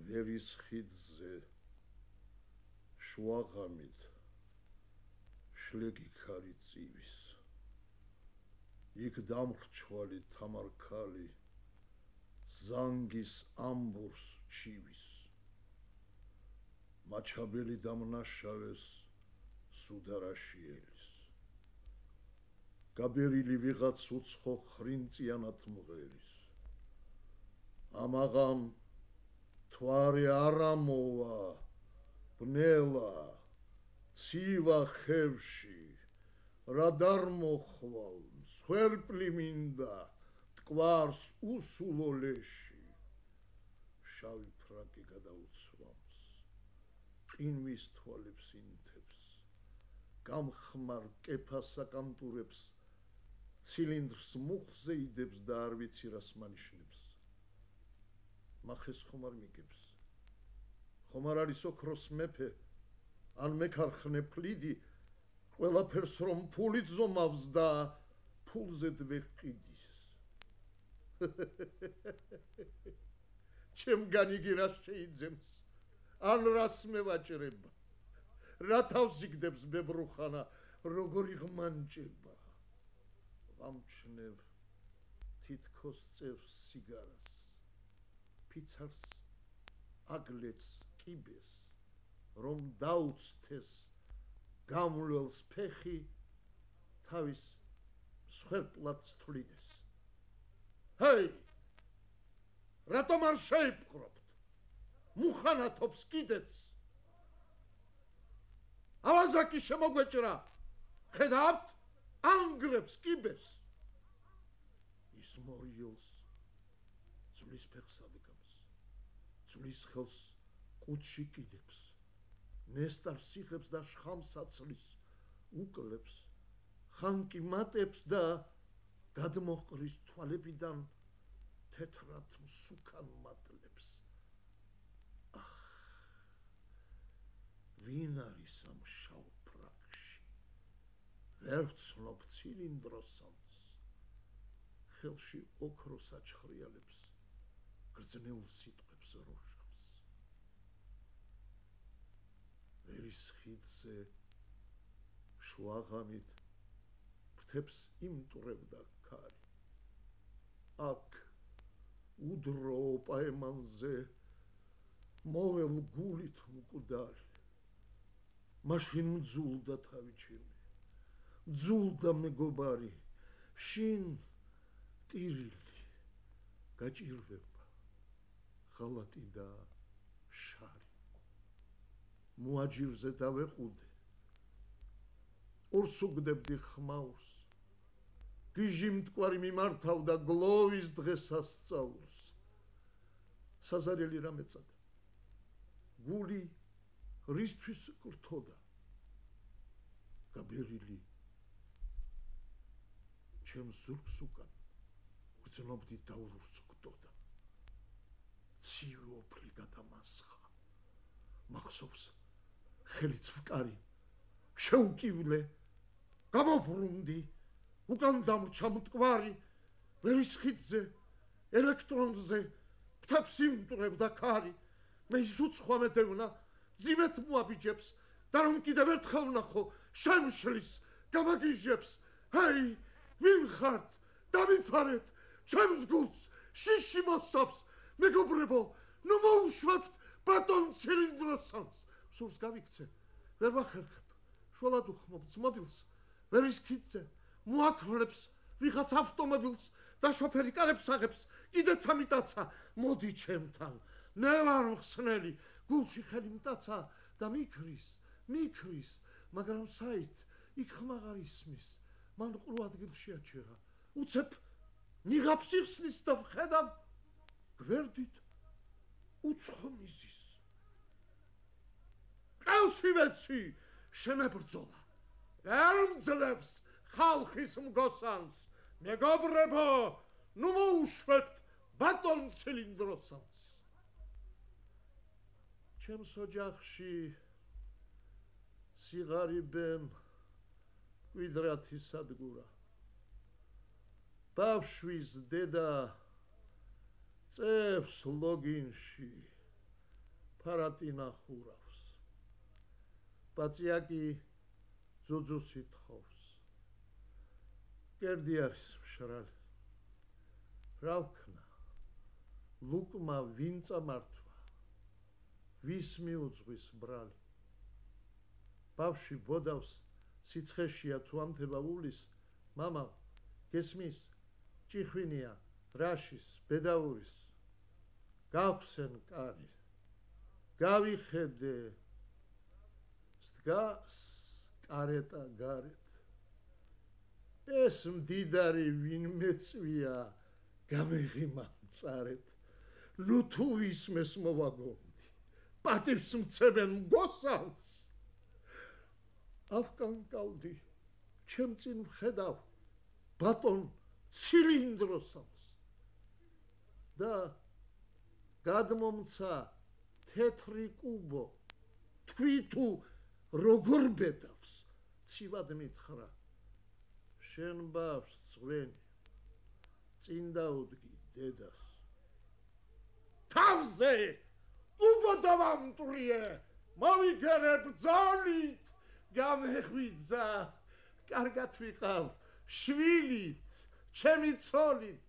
ვერის ხიდზე შუაღამით შლეგი ქარი წივის იქ დამრჩვალი თამარქალი ზანგის ამბურს ჩივის მაჩაბელი დამნაშავეს სუდარაშიელის გაბერილი ვიღაც უცხო ხრინწიანად მღერის ამაღამ თვარი არა მოვა ბნელა ცივა ხევში რა დარმოხვალ მსხვერპლი მინდა ტკვარს უსულო ლეში შავი ფრაკი გადაუცვამს ყინვის თვალებს ინთებს გამხმარ კეფას აკანტურებს ცილინდრს მუხზე იდებს და არ ვიცი რას მანიშნებს მახეს ხომ არ მიგებს ხომ არ არის ოქროს მეფე ან მეკარხნე ფლიდი ყველაფერს რომ ფულით ზომავს და ფულზედ ვეყიდის ჩემგან იგი რას შეიძენს ან რას მევაჭრება რა თავს იგდებს ბებრუხანა როგორი ღმანჭება ვამჩნევ თითქოს წევს სიგარას ფიცარს აგლეთს კიბეს რომ დაუცთეს გამვლელს ფეხი თავის მსხვერპლად თვლიდეს ჰეი რატომ არ შეიპყრობთ მუხანათობს კიდეც ავაზაკი შემოგვეჭრა ხედავთ ანგრებს კიბეს ის მორიელს ძვლის ფეხს ადგამს ძვლის ხელს ყუთში კიდებს ნესტარს სიხებს და შხამს აცლის უკლებს ხანკი მატებს და გადმოყრის თვალებიდან თეთრად მსუქან მატლებს ახ ვინ არის ამ შავ ფრაკში ვერ ვცნობ ცილინდროსანს ხელში ოქროს აჩხრიალებს გრძნეულ სიტყვებს როჟავს ვერის ხიდზე შუაღამით ფრთებს იმტვრევდა ქარი აქ უდრო პაემანზე მოველგულით მკვდარი მაშინ მძულდა თავი ჩემი მძულდა მეგობარი შინ ტირილი გაჭირვება ხალატი და შარი მოაჯირზე დავეყუდე ორს უგდებდი ხმაურს გიჟი მტკვარი მიმართავდა გლოვის დღესასწაულს საზარელი რა მეწადა გული რისთვის გრთოდა გაბერილი ჩემს ზურგს უკან გრძნობდი დაურს გდოდა ცივი ოფლი გადამასხა მახსოვს ხელიც ვკარი შეუკივლე გამობრუნდი უკან დამრჩა მტკვარი ვერის ხიდზე ელექტრონზე ფრთებს იმტვრევდა ქარი მე ის უცხო მედევნა ძიმეთ მოაბიჯებს და რომ კიდევ ერთხელ ვნახო შემშლის გამაგიჟებს ჰეი ვინ ხართ დამიფარეთ ჩემს გულს შიში მოსავს მეგობრებო ნუ მოუშვებთ ბატონ ცილინდროსანს სურს გავიქცე ვერ ვახერხებ შველად უხმობ ძმობილს ვერის ხიდზე მოაქრლებს ვიღაც ავტომობილს და შოფერი კარებს აღებს კიდეც ამიტაცა მოდი ჩემთან მე ვარ მხსნელი გულში ხელი მტაცა და მიქრის მაგრამ საით იქ ხმაღ არ ისმის მან ყრუ ადგილში აჩერა უცებ ნიღაბს იხსნის და ვხედავ გვერდით უცხო მიზის ყელში ვეცი შემებრძოლა ვერ მძლევს ხალხის მგოსანს მეგობრებო ნუ მოუშვებთ ბატონ ცილინდროსანს ჩემს ოჯახში სიღარიბემ კვიდრათი სადგურა ბავშვის დედა წევს ლოგინში ფარატინა ხურავს ბაწიაკი ძუძუს ითხოვს კერდი არის მშრალი რა ვქნა ლუკმა ვინ წამართვა ვის მიუძღვის ბრალი ბავშვი ბოდავს სიცხეშია თუ ამთება ულის მამა გესმის ჭიხვინია რაშის ბედაურის გავხსენ კარი გავიხედე სდგას კარეტა გარეთ ეს მდიდარი ვინ მეწვია გამეღიმა მწარეთ ნუ თუ ისმეს მოვაგონდი პატივს მცემენ მგოსავს ავკანკავდი ჩემ წინ ვხედავ ბატონ ცილინდროსავს და გადმომცა თეთრი კუბო თქვი თუ როგორ ბედავს ცივად მითხრა შენ ბავშვს წვენი წინ დაუდგი დედას თავზე უბოდავამტრიე მოვიგერე ბრძოლით გამეღვიძა კარგად ვიყავ შვილით ჩემი ცოლით